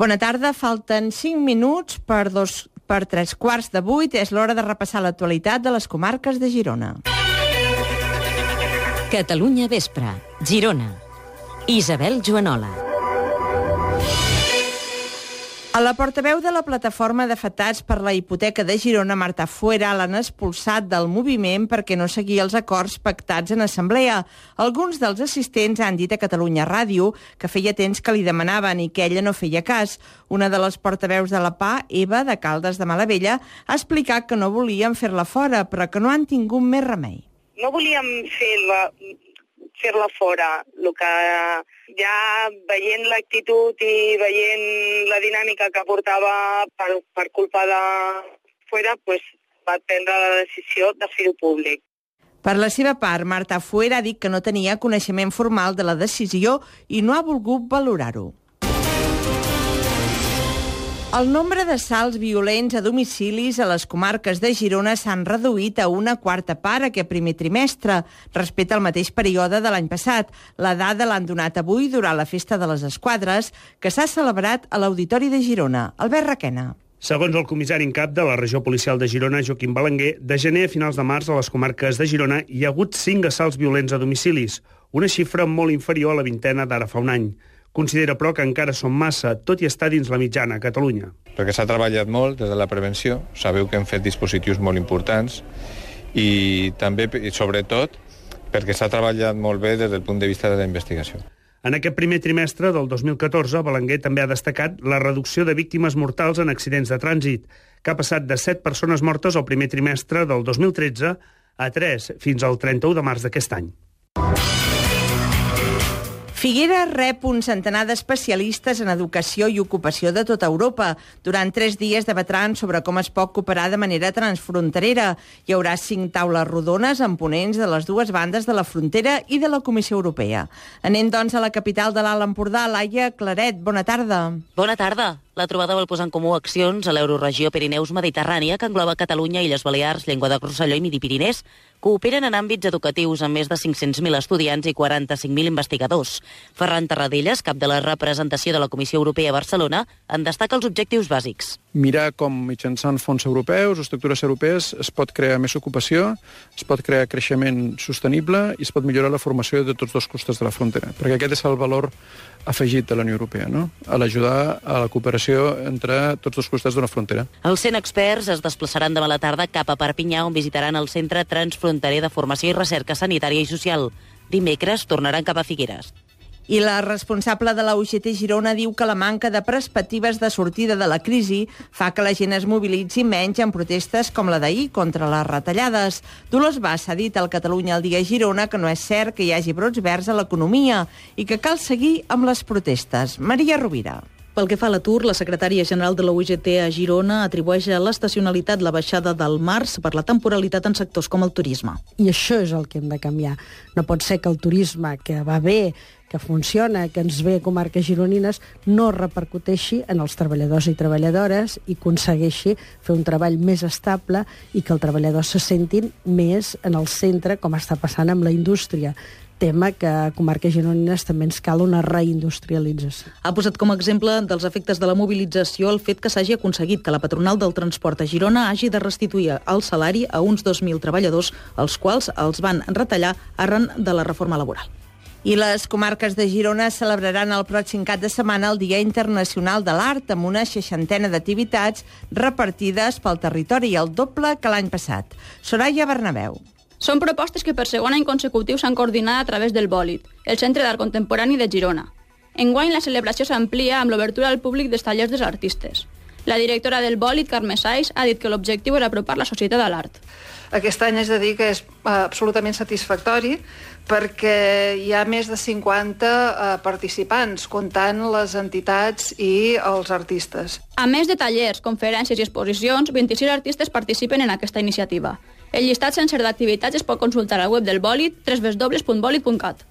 Bona tarda, falten 5 minuts per 7:45. És l'hora de repassar l'actualitat de les comarques de Girona. Catalunya Vespre, Girona. Isabel Joanola. A la portaveu de la plataforma d'afectats per la hipoteca de Girona, Marta Fuera, l'han expulsat del moviment perquè no seguia els acords pactats en assemblea. Alguns dels assistents han dit a Catalunya Ràdio que feia temps que li demanaven i que ella no feia cas. Una de les portaveus de la PA, Eva, de Caldes de Malavella, ha explicat que no volien fer-la fora, però que no han tingut més remei. No volíem fer-la fora, el que ja veient l'actitud i veient la dinàmica que portava per culpa de Fuera, va prendre la decisió de fer-ho públic. Per la seva part, Marta Fuera ha dit que no tenia coneixement formal de la decisió i no ha volgut valorar-ho. El nombre d'assalts violents a domicilis a les comarques de Girona s'han reduït a una quarta part aquest primer trimestre, respecte al mateix període de l'any passat. La dada l'han donat avui durant la Festa de les Esquadres, que s'ha celebrat a l'Auditori de Girona. Albert Requena. Segons el comissari en cap de la regió policial de Girona, Joaquim Belenguer, de gener a finals de març a les comarques de Girona hi ha hagut 5 assalts violents a domicilis, una xifra molt inferior a la vintena d'ara fa un any. Considera, però, que encara són massa, tot i estar dins la mitjana a Catalunya. Perquè s'ha treballat molt des de la prevenció, sabeu que hem fet dispositius molt importants i també, i sobretot, perquè s'ha treballat molt bé des del punt de vista de la investigació. En aquest primer trimestre del 2014, Belenguer també ha destacat la reducció de víctimes mortals en accidents de trànsit, que ha passat de 7 persones mortes al primer trimestre del 2013 a 3 fins al 31 de març d'aquest any. Figueres rep un centenar d'especialistes en educació i ocupació de tota Europa. Durant 3 dies debatran sobre com es pot cooperar de manera transfronterera. Hi haurà 5 taules rodones amb ponents de les dues bandes de la frontera i de la Comissió Europea. Anem, doncs, a la capital de l'Alt Empordà, Laia Claret. Bona tarda. Bona tarda. La trobada vol posar en comú accions a l'Euroregió Pirineus-Mediterrània, que engloba Catalunya, Illes Balears, Llenguadoc-Rosselló i Midi-Pirinès. Cooperen en àmbits educatius amb més de 500.000 estudiants i 45.000 investigadors. Ferran Tarradellas, cap de la representació de la Comissió Europea a Barcelona, en destaca els objectius bàsics. Mirar com mitjançant fons europeus o estructures europees es pot crear més ocupació, es pot crear creixement sostenible i es pot millorar la formació de tots dos costats de la frontera, perquè aquest és el valor afegit de la Unió Europea, no? A l'ajudar a la cooperació entre tots dos costats d'una frontera. Els 100 experts es desplaçaran demà a la tarda cap a Perpinyà, on visitaran el Centre Transfronterer de Formació i Recerca Sanitària i Social. Dimecres tornaran cap a Figueres. I la responsable de la UGT Girona diu que la manca de perspectives de sortida de la crisi fa que la gent es mobilitzi menys en protestes com la d'ahir contra les retallades. Dolors Bas ha dit al Catalunya al dia Girona que no és cert que hi hagi brots verds a l'economia i que cal seguir amb les protestes. Maria Rovira. Pel que fa a l'atur, la secretària general de la UGT a Girona atribueix a l'estacionalitat la baixada del març per la temporalitat en sectors com el turisme. I això és el que hem de canviar. No pot ser que el turisme, que va bé, que funciona, que ens ve a comarques gironines, no repercuteixi en els treballadors i treballadores i aconsegueixi fer un treball més estable i que els treballadors se sentin més en el centre, com està passant amb la indústria. Tema que a comarques gironines també ens cal una reindustrialització. Ha posat com a exemple dels efectes de la mobilització el fet que s'hagi aconseguit que la patronal del transport a Girona hagi de restituir el salari a uns 2.000 treballadors, els quals els van retallar arran de la reforma laboral. I les comarques de Girona celebraran el pròxim cap de setmana el Dia Internacional de l'Art, amb una 60 d'activitats repartides pel territori, el doble que l'any passat. Soraya Bernabéu. Són propostes que per segon any consecutiu s'han coordinat a través del Bòlit, el Centre d'Art Contemporani de Girona. Enguany la celebració s'amplia amb l'obertura al públic dels tallers dels artistes. La directora del Bòlit, Carme Sais, ha dit que l'objectiu era apropar la societat a l'art. Aquest any és de dir que és absolutament satisfactori perquè hi ha més de 50 participants, comptant les entitats i els artistes. A més de tallers, conferències i exposicions, 26 artistes participen en aquesta iniciativa. El llistat sencer d'activitats es pot consultar al web del Bòlit, www.bolit.cat.